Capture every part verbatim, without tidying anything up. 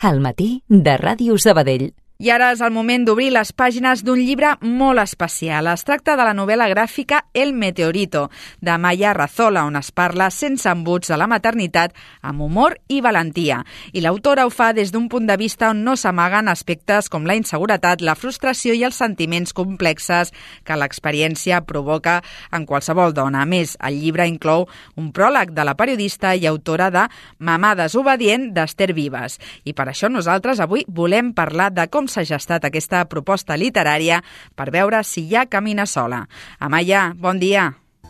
Al matí de Ràdio Sabadell. I ara és el moment d'obrir les pàgines d'un llibre molt especial. Es tracta de la novel·la gràfica El Meteorito, de Maya Arrazola, on es parla sense embuts de la maternitat, amb humor i valentia. I l'autora ho fa des d'un punt de vista on no s'amaguen aspectes com la inseguretat, la frustració i els sentiments complexes que l'experiència provoca en qualsevol dona. A més, el llibre inclou un pròleg de la periodista i autora de Mamà desobedient, d'Ester Vives. I per això nosaltres avui volem parlar de com s'ha gestat aquesta proposta literària per veure si ja camina sola. Amaya, bon dia.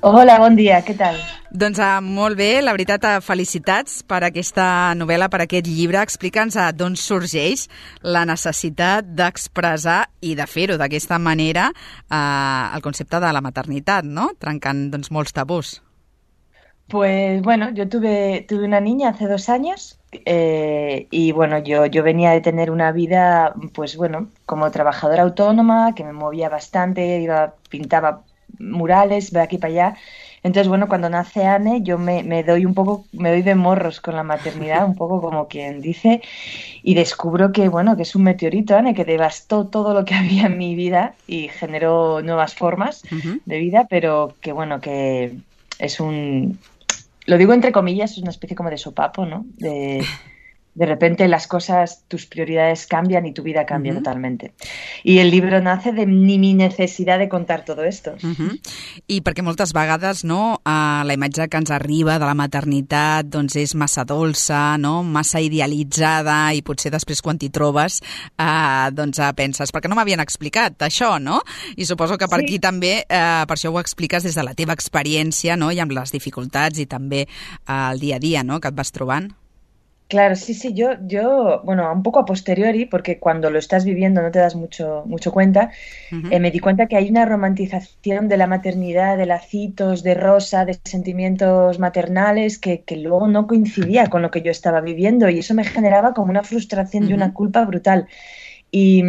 Hola, bon dia, què tal? Doncs uh, molt bé, la veritat, uh, felicitats per aquesta novel·la, per aquest llibre. Explica'ns uh, d'on sorgeix la necessitat d'expressar i de fer-ho d'aquesta manera uh, el concepte de la maternitat, ¿no? Trencant doncs, molts tabús. Pues bueno, yo tuve, tuve una niña hace dos años eh, y bueno, yo, yo venía de tener una vida, pues bueno, como trabajadora autónoma, que me movía bastante, iba, pintaba murales de aquí para allá. Entonces, bueno, cuando nace Anne, yo me, me doy un poco, me doy de morros con la maternidad, un poco como quien dice, y descubro que, bueno, que es un meteorito, Anne, que devastó todo lo que había en mi vida y generó nuevas formas uh-huh. de vida, pero que, bueno, que es un... Lo digo entre comillas, es una especie como de sopapo, ¿no? De, de repente las cosas, tus prioridades cambian y tu vida cambia uh-huh. totalmente. I el llibre nace de ni mi necessitat de contar todo esto. Uh-huh. I perquè moltes vegades, no, uh, la imatge que ens arriba de la maternitat doncs és massa dolça, no? Massa idealitzada, i potser després quan t'hi trobes uh, doncs uh, penses, perquè no m'havien explicat això, no? I suposo que per sí. aquí també, uh, per això ho expliques des de la teva experiència, no? I amb les dificultats i també uh, el dia a dia, no?, que et vas trobant. Claro, sí, sí, yo, yo, bueno, un poco a posteriori, porque cuando lo estás viviendo no te das mucho, mucho cuenta, uh-huh. eh, me di cuenta que hay una romantización de la maternidad, de lacitos, de rosa, de sentimientos maternales que, que luego no coincidía con lo que yo estaba viviendo y eso me generaba como una frustración uh-huh. y una culpa brutal. Y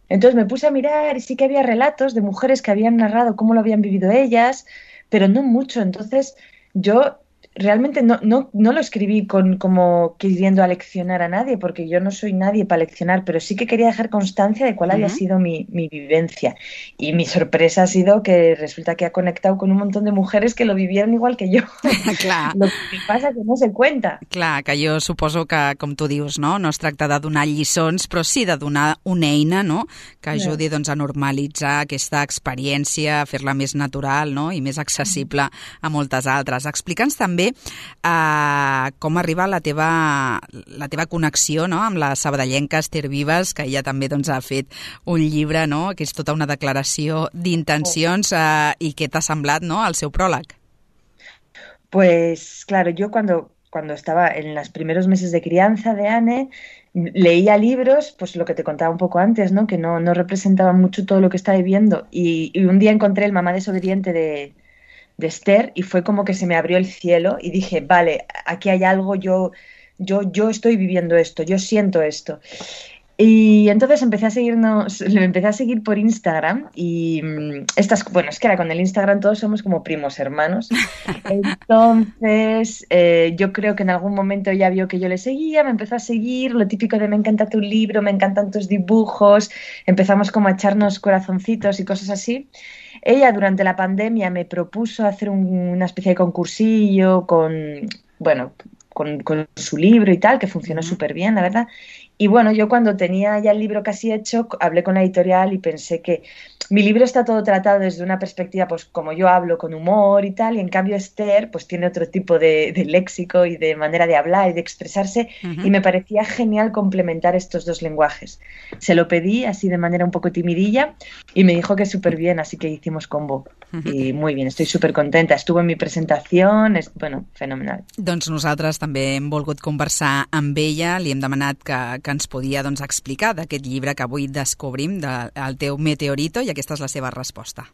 entonces me puse a mirar y sí que había relatos de mujeres que habían narrado cómo lo habían vivido ellas, pero no mucho, entonces yo... Realmente no, no, no lo escribí con, como queriendo aleccionar a nadie, porque yo no soy nadie para leccionar, pero sí que quería dejar constancia de cuál uh-huh. había sido mi, mi vivencia. Y mi sorpresa ha sido que resulta que ha conectado con un montón de mujeres que lo vivieron igual que yo. Clar. Lo que passa que no se cuenta. Clar, que jo suposo que, com tu dius, no, no es tracta de donar lliçons, però sí de donar una eina, no?, que ajudi doncs, a normalitzar aquesta experiència, a fer-la més natural, no?, i més accessible a moltes altres. Explica'ns també Uh, com arriba la teva, la teva connexió, no?, amb la sabadellenca Ester Vives, que ella també doncs, ha fet un llibre, no?, que és tota una declaració d'intencions, uh, i què t'ha semblat, no?, el seu pròleg. Pues claro, yo cuando, cuando estaba en los primeros meses de crianza de Anne, leía libros, pues lo que te contaba un poco antes, ¿no?, que no, no representaban mucho todo lo que estaba viviendo, y, y un día encontré el Mamá desobediente de de Esther y fue como que se me abrió el cielo y dije, vale, aquí hay algo, yo, yo, yo estoy viviendo esto, yo siento esto. Y entonces empecé a seguirnos, le empecé a seguir por Instagram y estas, bueno, es que ahora con el Instagram todos somos como primos hermanos. Entonces eh, yo creo que en algún momento ella vio que yo le seguía, me empezó a seguir, lo típico de me encanta tu libro, me encantan tus dibujos, empezamos como a echarnos corazoncitos y cosas así. Ella durante la pandemia me propuso hacer un, una especie de concursillo con, bueno, con, con su libro y tal, que funcionó uh-huh. súper bien, la verdad. Y bueno, yo cuando tenía ya el libro casi hecho, hablé con la editorial y pensé que mi libro está todo tratado desde una perspectiva, pues como yo hablo, con humor y tal, y en cambio Esther pues tiene otro tipo de, de léxico y de manera de hablar y de expresarse, uh-huh. y me parecía genial complementar estos dos lenguajes. Se lo pedí así de manera un poco timidilla y me dijo que súper bien, así que hicimos combo. Uh-huh. Y muy bien, estoy súper contenta. Estuvo en mi presentación, es, bueno, fenomenal. Doncs nosaltres també hem volgut conversar amb ella, li hem demanat que, que ens podia doncs, explicar d'aquest llibre que avui descobrim, del de, teu Meteorito, i aquesta és la seva resposta.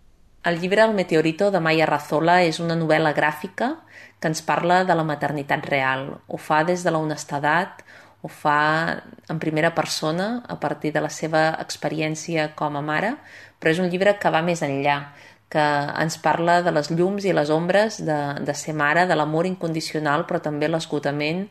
El llibre El Meteorito de Maya Arrazola és una novel·la gràfica que ens parla de la maternitat real. Ho fa des de la honestedat, ho fa en primera persona a partir de la seva experiència com a mare, però és un llibre que va més enllà, que ens parla de les llums i les ombres de, de ser mare, de l'amor incondicional, però també l'esgotament,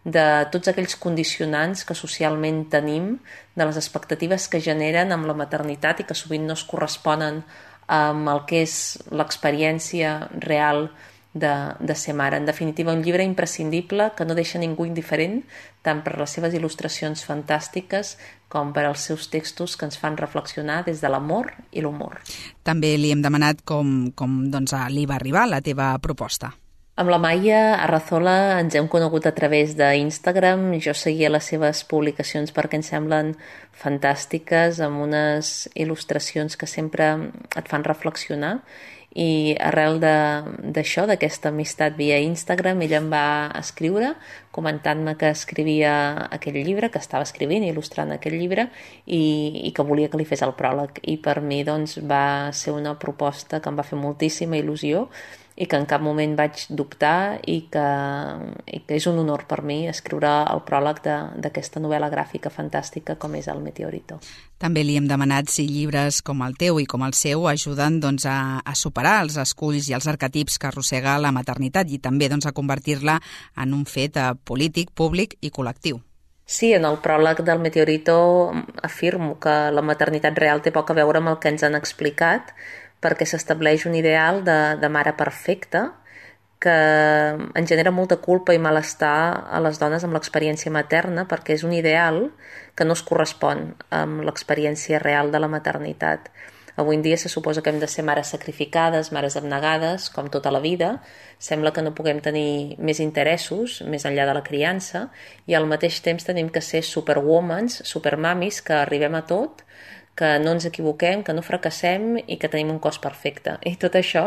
de tots aquells condicionants que socialment tenim, de les expectatives que generen amb la maternitat i que sovint no es corresponen amb el que és l'experiència real de, de ser mare. En definitiva, un llibre imprescindible que no deixa ningú indiferent, tant per les seves il·lustracions fantàstiques com per als seus textos que ens fan reflexionar des de l'amor i l'humor. També li hem demanat com, com doncs, li va arribar la teva proposta. Amb la Maia Arrazola ens hem conegut a través d'Instagram. Jo seguia les seves publicacions perquè em semblen fantàstiques, amb unes il·lustracions que sempre et fan reflexionar. I arrel d'això, d'aquesta amistat via Instagram, ella em va escriure comentant-me que escrivia aquell llibre, que estava escrivint i il·lustrant aquell llibre i, i que volia que li fes el pròleg. I per mi doncs, va ser una proposta que em va fer moltíssima il·lusió i que en cap moment vaig dubtar i que, i que és un honor per mi escriure el pròleg d'aquesta novel·la gràfica fantàstica com és El Meteorito. També li hem demanat si llibres com el teu i com el seu ajuden doncs, a, a superar els esculls i els arquetips que arrossega la maternitat i també doncs, a convertir-la en un fet polític, públic i col·lectiu. Sí, en el pròleg del Meteorito afirmo que la maternitat real té poc a veure amb el que ens han explicat, perquè s'estableix un ideal de, de mare perfecta que ens genera molta culpa i malestar a les dones amb l'experiència materna, perquè és un ideal que no es correspon amb l'experiència real de la maternitat. Avui en dia se suposa que hem de ser mares sacrificades, mares abnegades, com tota la vida. Sembla que no puguem tenir més interessos, més enllà de la criança, i al mateix temps tenim que ser superwomans, supermamis, que arribem a tot, que no ens equivoquem, que no fracassem i que tenim un cos perfecte. I tot això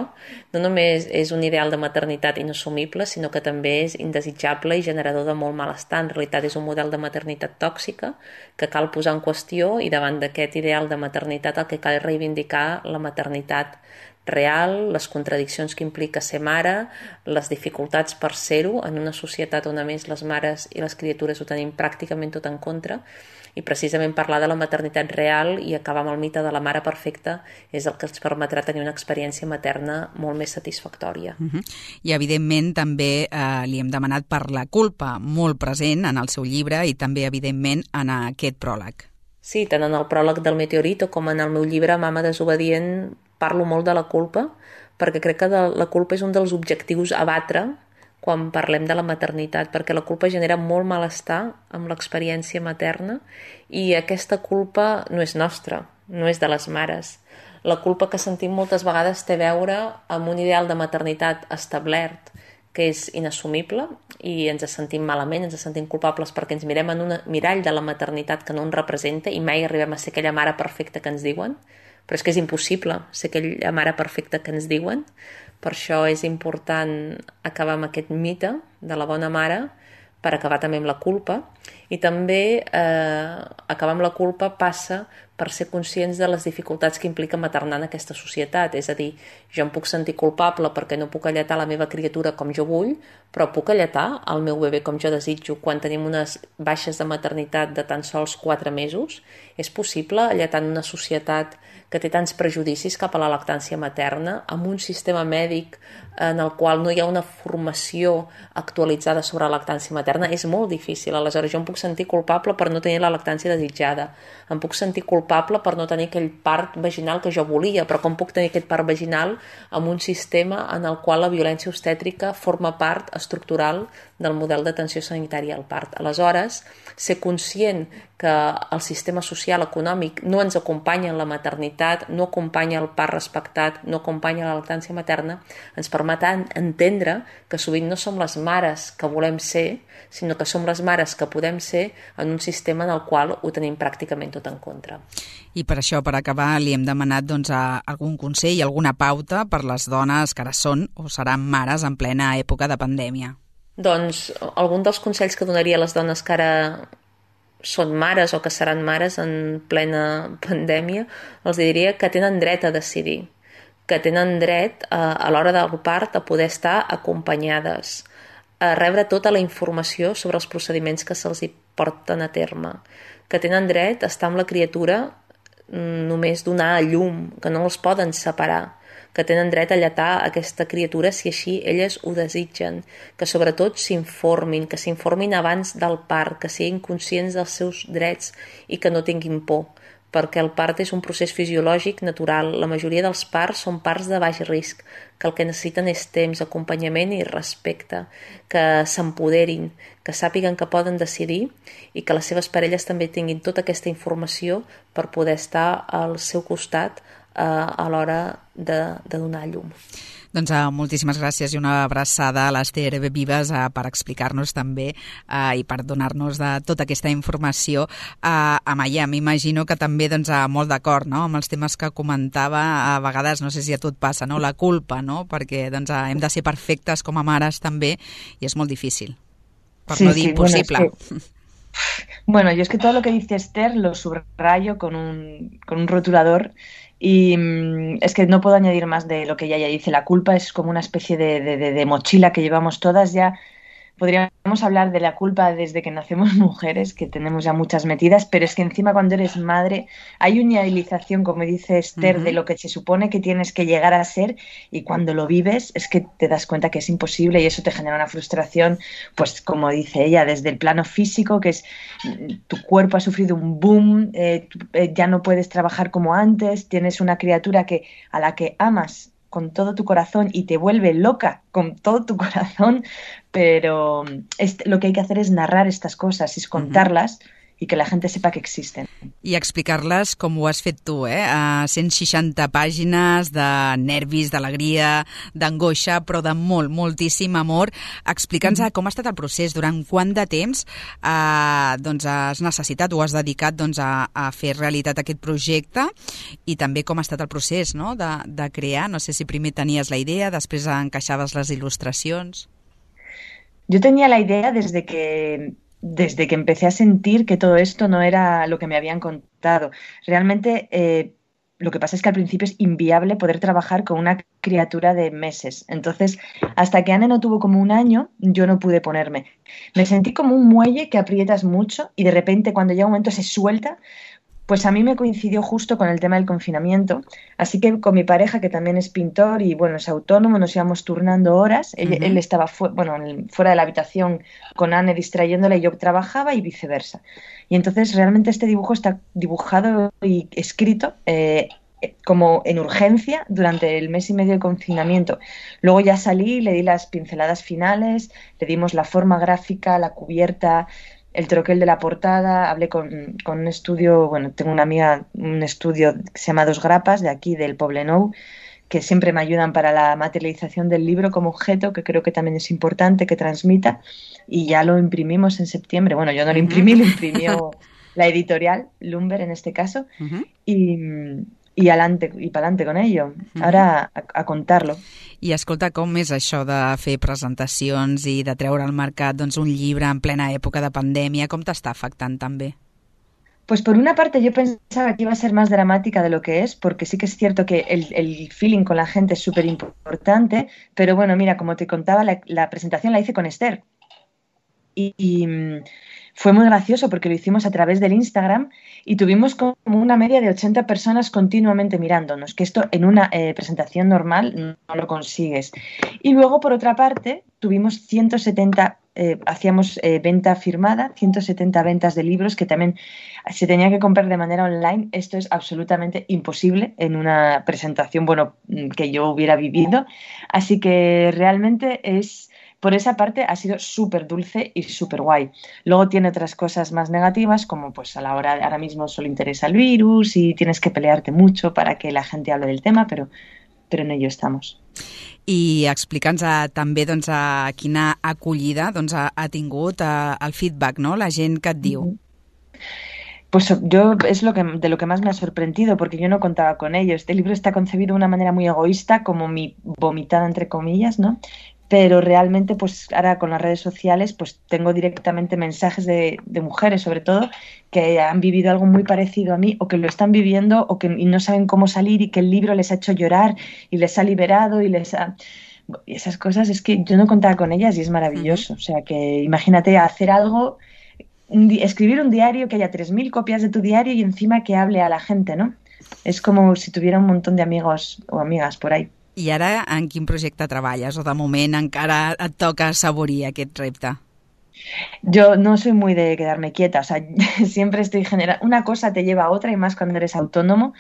no només és un ideal de maternitat inassumible, sinó que també és indesitjable i generador de molt malestar. En realitat és un model de maternitat tòxica que cal posar en qüestió i davant d'aquest ideal de maternitat el que cal és reivindicar la maternitat real, les contradiccions que implica ser mare, les dificultats per ser-ho en una societat on a més les mares i les criatures ho tenim pràcticament tot en contra, i precisament parlar de la maternitat real i acabar amb el mite de la mare perfecta és el que ens permetrà tenir una experiència materna molt més satisfactòria. Uh-huh. I evidentment també eh, li hem demanat per la culpa, molt present en el seu llibre i també evidentment en aquest pròleg. Sí, tant en el pròleg del Meteorito com en el meu llibre Mama desobedient parlo molt de la culpa, perquè crec que de, la culpa és un dels objectius a batre quan parlem de la maternitat, perquè la culpa genera molt malestar amb l'experiència materna i aquesta culpa no és nostra, no és de les mares. La culpa que sentim moltes vegades té a veure amb un ideal de maternitat establert que és inassumible i ens sentim malament, ens sentim culpables perquè ens mirem en un mirall de la maternitat que no ens representa i mai arribem a ser aquella mare perfecta que ens diuen, però és que és impossible ser aquella mare perfecta que ens diuen. Per això és important acabar amb aquest mite de la bona mare per acabar també amb la culpa i també eh, acabar amb la culpa passa per ser conscients de les dificultats que implica maternar en aquesta societat. És a dir, jo em puc sentir culpable perquè no puc alletar la meva criatura com jo vull, però puc alletar el meu bebè com jo desitjo quan tenim unes baixes de maternitat de tan sols quatre mesos. És possible alletar en una societat que té tants prejudicis cap a la lactància materna, amb un sistema mèdic en el qual no hi ha una formació actualitzada sobre la lactància materna, és molt difícil. Aleshores, jo em puc sentir culpable per no tenir la lactància desitjada, em puc sentir culpable per no tenir aquell part vaginal que jo volia, però com puc tenir aquest part vaginal amb un sistema en el qual la violència obstètrica forma part estructural del model d'atenció sanitària al part. Aleshores, ser conscient que el sistema social econòmic no ens acompanya en la maternitat, no acompanya el part respectat, no acompanya la lactància materna, ens permet entendre que sovint no som les mares que volem ser, sinó que som les mares que podem ser en un sistema en el qual ho tenim pràcticament tot en contra. I per això, per acabar, li hem demanat doncs, algun consell, alguna pauta per les dones que ara són o seran mares en plena època de pandèmia. Doncs algun dels consells que donaria a les dones que ara són mares o que seran mares en plena pandèmia, els diria que tenen dret a decidir, que tenen dret a, a l'hora del part a poder estar acompanyades, a rebre tota la informació sobre els procediments que se'ls hi porten a terme, que tenen dret a estar amb la criatura només donar a llum, que no els poden separar, que tenen dret a lletar aquesta criatura si així elles ho desitgen, que sobretot s'informin, que s'informin abans del part, que siguin conscients dels seus drets i que no tinguin por, perquè el part és un procés fisiològic natural. La majoria dels parts són parts de baix risc, que el que necessiten és temps, acompanyament i respecte, que s'empoderin, que sàpiguen que poden decidir i que les seves parelles també tinguin tota aquesta informació per poder estar al seu costat eh, a l'hora de, de donar llum. Doncs uh, moltíssimes gràcies i una abraçada a l'Ester Vives uh, per explicar-nos també uh, i per donar-nos de tota aquesta informació. Uh, Amaya, m'imagino que també doncs, uh, molt d'acord, no?, amb els temes que comentava. A vegades, no sé si a tu et passa, no?, la culpa, no?, perquè doncs, uh, hem de ser perfectes com a mares també i és molt difícil, per sí, no dir sí, impossible. Bueno, es que, bueno, yo es que todo lo que dice Esther lo subrayo con un, con un rotulador. Y mmm, es que no puedo añadir más de lo que ella ya dice. La culpa es como una especie de, de, de, de mochila que llevamos todas ya. Podríamos hablar de la culpa desde que nacemos mujeres, que tenemos ya muchas metidas, pero es que encima cuando eres madre hay una idealización, como dice Esther, uh-huh. de lo que se supone que tienes que llegar a ser, y cuando lo vives es que te das cuenta que es imposible y eso te genera una frustración, pues como dice ella, desde el plano físico, que es tu cuerpo ha sufrido un boom, eh, eh, ya no puedes trabajar como antes, tienes una criatura que a la que amas con todo tu corazón y te vuelve loca con todo tu corazón, pero este, lo que hay que hacer es narrar estas cosas, es contarlas uh-huh. i que la gent sepa que existen. I explicar-les com ho has fet tu, eh? A cent seixanta pàgines de nervis, d'alegria, d'angoixa, però de molt, moltíssim amor. Explica'ns mm-hmm. com ha estat el procés, durant quant de temps eh, doncs has necessitat o has dedicat doncs, a, a fer realitat aquest projecte i també com ha estat el procés, no?, de, de crear. No sé si primer tenies la idea, després encaixaves les il·lustracions. Jo tenia la idea desde que... desde que empecé a sentir que todo esto no era lo que me habían contado. Realmente eh, lo que pasa es que al principio es inviable poder trabajar con una criatura de meses. Entonces, hasta que Anne no tuvo como un año, yo no pude ponerme. Me sentí como un muelle que aprietas mucho y de repente cuando llega un momento se suelta. Pues a mí me coincidió justo con el tema del confinamiento, así que con mi pareja, que también es pintor y bueno, es autónomo, nos íbamos turnando horas. Él, uh-huh. él estaba fu- bueno, fuera de la habitación con Anne distrayéndola y yo trabajaba y viceversa. Y entonces realmente este dibujo está dibujado y escrito eh, como en urgencia durante el mes y medio de confinamiento. Luego ya salí, le di las pinceladas finales, le dimos la forma gráfica, la cubierta, el troquel de la portada, hablé con, con un estudio, bueno, tengo una amiga, un estudio que se llama Dos Grapas, de aquí, del Poblenou, que siempre me ayudan para la materialización del libro como objeto, que creo que también es importante que transmita, y ya lo imprimimos en septiembre. Bueno, yo no lo imprimí, lo imprimió la editorial, Lumber en este caso, uh-huh. y... i alante, i pa'lante con ello. Ara a, a contar-lo. I escolta, com és això de fer presentacions i de treure al mercat doncs, un llibre en plena època de pandèmia? Com t'està afectant també? Pues por una parte yo pensaba que iba a ser más dramática de lo que es, porque sí que es cierto que el, el feeling con la gente es súper importante, pero bueno, mira, como te contaba, la, la presentación la hice con Esther. Y, y fue muy gracioso porque lo hicimos a través del Instagram y tuvimos como una media de ochenta personas continuamente mirándonos, que esto en una eh, presentación normal no lo consigues. Y luego, por otra parte, tuvimos ciento setenta, eh, hacíamos eh, venta firmada, ciento setenta ventas de libros que también se tenía que comprar de manera online. Esto es absolutamente imposible en una presentación, bueno, que yo hubiera vivido. Así que realmente es... Por esa parte ha sido súper dulce y súper guay. Luego tiene otras cosas más negativas, como pues a la hora, ahora mismo solo interesa el virus y tienes que pelearte mucho para que la gente hable del tema, pero, pero en ello estamos. I explica'ns a, també doncs, a quina acollida doncs, ha, ha tingut a, el feedback, no? La gent que et diu. Pues yo es lo que, de lo que más me ha sorprendido, porque yo no contaba con ello. Este libro está concebido de una manera muy egoísta, como mi vomitada entre comillas, ¿no? Pero realmente pues ahora con las redes sociales pues tengo directamente mensajes de, de mujeres sobre todo que han vivido algo muy parecido a mí o que lo están viviendo o que y no saben cómo salir y que el libro les ha hecho llorar y les ha liberado y les ha... Y esas cosas es que yo no contaba con ellas y es maravilloso. O sea que imagínate hacer algo, un di- escribir un diario que haya tres mil copias de tu diario y encima que hable a la gente, ¿no? Es como si tuviera un montón de amigos o amigas por ahí. I ara en quin projecte treballes? O de moment encara et toca assaborir aquest repte? Yo no soy muy de quedarme quieta, o sea, siempre estoy generando, una cosa te lleva a otra y más cuando eres autónomo.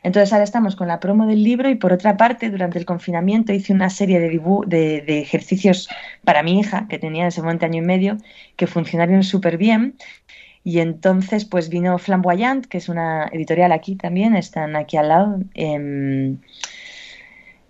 Entonces ahora estamos con la promo del libro y por otra parte, durante el confinamiento hice una serie de, dibu- de, de ejercicios para mi hija, que tenía en ese momento año y medio, que funcionaron súper bien. Y entonces pues vino Flamboyant, que es una editorial aquí también, están aquí al lado, en,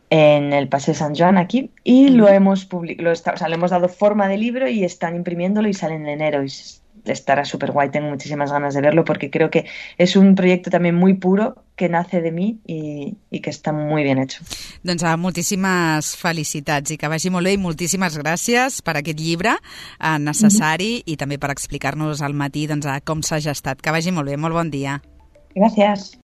en el Paseo San Joan aquí, y lo hemos public- lo está- o sea, le hemos dado forma de libro y están imprimiéndolo y sale en enero y s- estará súper guay, tengo muchísimas ganas de verlo porque creo que es un proyecto también muy puro que nace de mí y, y que está muy bien hecho. Doncs uh, moltíssimes felicitats i que vagi molt bé i moltíssimes gràcies per aquest llibre uh, necessari mm-hmm. i també per explicar-nos al matí doncs, uh, com s'ha gestat. Que vagi molt bé, molt bon dia. Gracias.